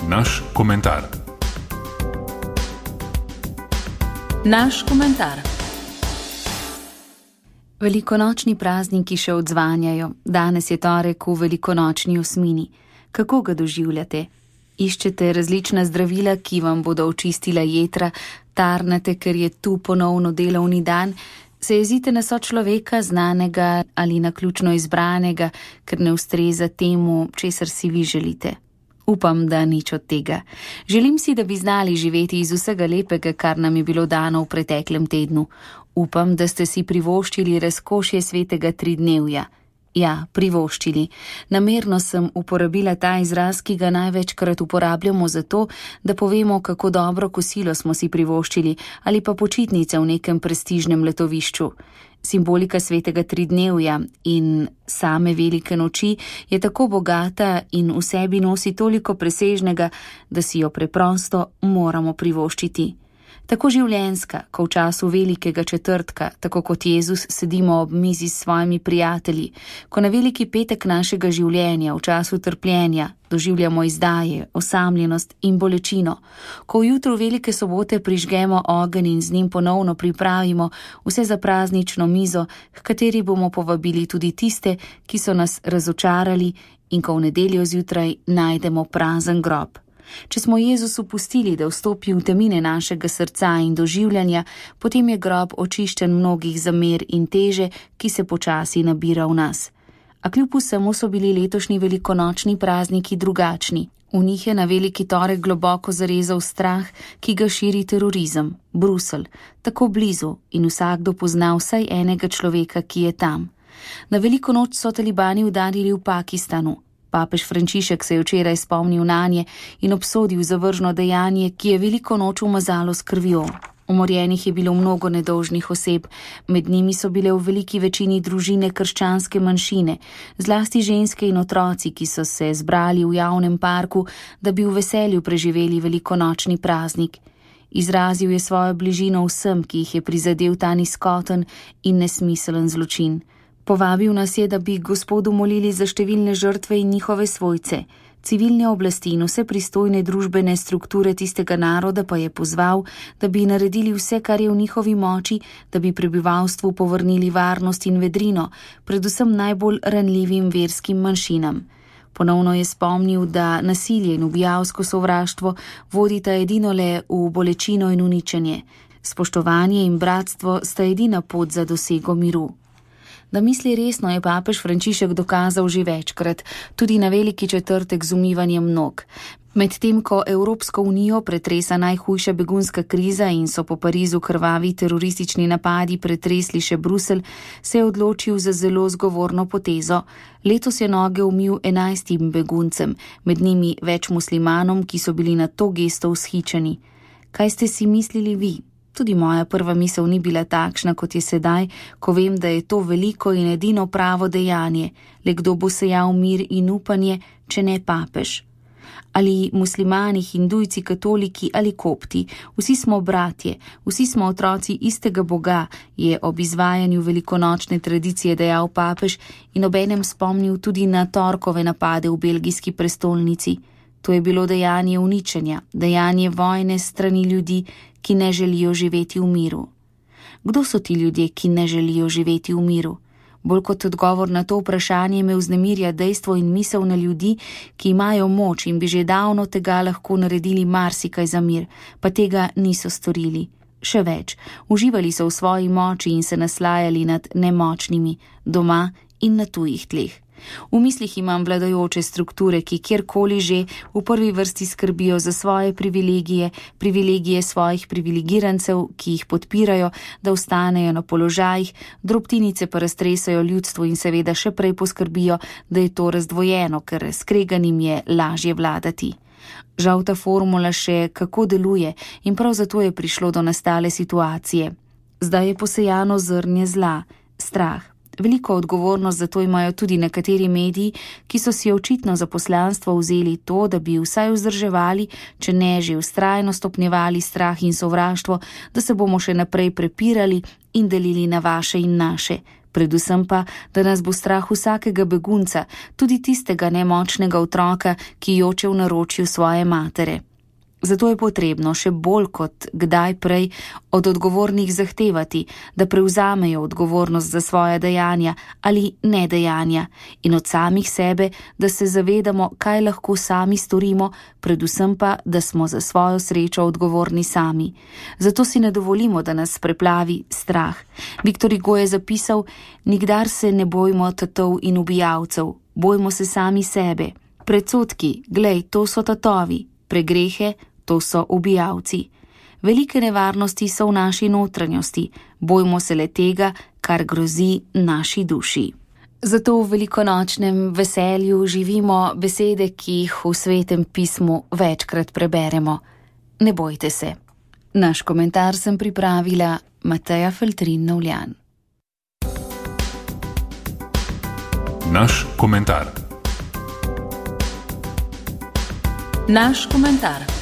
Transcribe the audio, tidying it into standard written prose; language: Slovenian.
naš komentar. Naš komentar. Velikonočni prazniki še odzvanjajo. Danes je torek v velikonočni osmini. Kako ga doživljate? Iščete različna zdravila, ki vam bodo očistila jetra, tarnate, ker je tu ponovno delovni dan, se jezite na sočloveka, znanega ali naključno izbranega, ker ne ustreza temu, česar si vi želite. Upam, da nič od tega. Želim si, da bi znali živeti iz vsega lepega, kar nam je bilo dano v preteklem tednu. Upam, da ste si privoščili razkošje svetega tridnevja. Ja, privoščili. Namerno sem uporabila ta izraz, ki ga največkrat uporabljamo zato, da povemo, kako dobro kosilo smo si privoščili ali pa počitnice v nekem prestižnem letovišču. Simbolika svetega tridnevja in same velike noči je tako bogata in v sebi nosi toliko presežnega, da si jo preprosto moramo privoščiti. Tako življenjska, ko v času velikega četrtka, tako kot Jezus, sedimo ob mizi s svojimi prijatelji, ko na veliki petek našega življenja, v času trpljenja, doživljamo izdaje, osamljenost in bolečino, ko v jutru velike sobote prižgemo ogenj in z njim ponovno pripravimo vse za praznično mizo, h kateri bomo povabili tudi tiste, ki so nas razočarali, in ko v nedeljo zjutraj najdemo prazen grob. Če smo Jezusu pustili, da vstopi v temine našega srca in doživljanja, potem je grob očiščen mnogih zamer in teže, ki se počasi nabira v nas. A kljub vsemu so bili letošnji velikonočni prazniki drugačni. V njih je na veliki torek globoko zarezal strah, ki ga širi terorizem, Bruselj, tako blizu in vsakdo pozna vsaj enega človeka, ki je tam. Na veliko noč so talibani udarili v Pakistanu. Papež Frančišek se je včeraj spomnil nanje in obsodil zavržno dejanje, ki je veliko noč umazalo s krvjo. Umorjenih je bilo mnogo nedolžnih oseb, med njimi so bile v veliki večini družine krščanske manjšine, zlasti ženske in otroci, ki so se zbrali v javnem parku, da bi v veselju preživeli velikonočni praznik. Izrazil je svojo bližino vsem, ki jih je prizadel ta nizkoten in nesmiselen zločin. Povabil nas je, da bi Gospodu molili za številne žrtve in njihove svojce. Civilne oblasti in vse pristojne družbene strukture tistega naroda pa je pozval, da bi naredili vse, kar je v njihovi moči, da bi prebivalstvu povrnili varnost in vedrino, predvsem najbolj ranljivim verskim manjšinam. Ponovno je spomnil, da nasilje in ubijalsko sovraštvo vodita edino le v bolečino in uničenje. Spoštovanje in bratstvo sta edina pot za dosego miru. Da misli resno, je papež Frančišek dokazal že večkrat, tudi na veliki četrtek z umivanjem nog. Medtem ko Evropsko unijo pretresa najhujša begunska kriza in so po Parizu krvavi teroristični napadi pretresli še Bruselj, se je odločil za zelo zgovorno potezo. Letos je noge umil 11 beguncem, med njimi več muslimanom, ki so bili na to gesto vzhičeni. Kaj ste si mislili vi? Tudi moja prva misel ni bila takšna, kot je sedaj, ko vem, da je to veliko in edino pravo dejanje, le kdo bo sejal mir in upanje, če ne papež. Ali muslimani, hindujci, katoliki ali kopti, vsi smo bratje, vsi smo otroci istega Boga, je ob izvajanju velikonočne tradicije dejal papež in obenem spomnil tudi na torkove napade v belgijski prestolnici. To je bilo dejanje uničenja, dejanje vojne strani ljudi, ki ne želijo živeti v miru. Kdo so ti ljudje, ki ne želijo živeti v miru? Bolj kot odgovor na to vprašanje me vznemirja dejstvo in misel na ljudi, ki imajo moč in bi že davno tega lahko naredili marsikaj za mir, pa tega niso storili. Še več, uživali so v svoji moči in se naslajali nad nemočnimi, doma in na tujih tleh. V mislih imam vladajoče strukture, ki kjerkoli že v prvi vrsti skrbijo za svoje privilegije, privilegije svojih privilegirancev, ki jih podpirajo, da ostanejo na položajih, drobtinice pa raztresajo ljudstvo in seveda še prej poskrbijo, da je to razdvojeno, ker skreganim je lažje vladati. Žal ta formula še kako deluje in prav zato je prišlo do nastale situacije. Zdaj je posejano zrnje zla, strah. Veliko odgovornost za to imajo tudi nekateri mediji, ki so si očitno za poslanstvo vzeli to, da bi vsaj vzdrževali, če ne že vztrajno stopnjevali strah in sovraštvo, da se bomo še naprej prepirali in delili na vaše in naše, predvsem pa, da nas bo strah vsakega begunca, tudi tistega nemočnega otroka, ki joče v naročju svoje matere. Zato je potrebno še bolj kot kdaj prej od odgovornih zahtevati, da prevzamejo odgovornost za svoje dejanja ali nedejanja in od samih sebe, da se zavedamo, kaj lahko sami storimo, predvsem pa, da smo za svojo srečo odgovorni sami. Zato si ne dovolimo, da nas preplavi strah. Viktor Hugo je zapisal: nikdar se ne bojmo tatov in ubijalcev, bojmo se sami sebe. Predsodki, glej, to so tatovi, pregrehe, to so ubijalci. Velike nevarnosti so v naši notranjosti, bojmo se le tega, kar grozi naši duši. Zato v velikonočnem veselju živimo besede, ki jih v Svetem pismu večkrat preberemo. Ne bojte se. Naš komentar sem pripravila Mateja Feltrin-Novljan. Naš komentar. Naš komentar.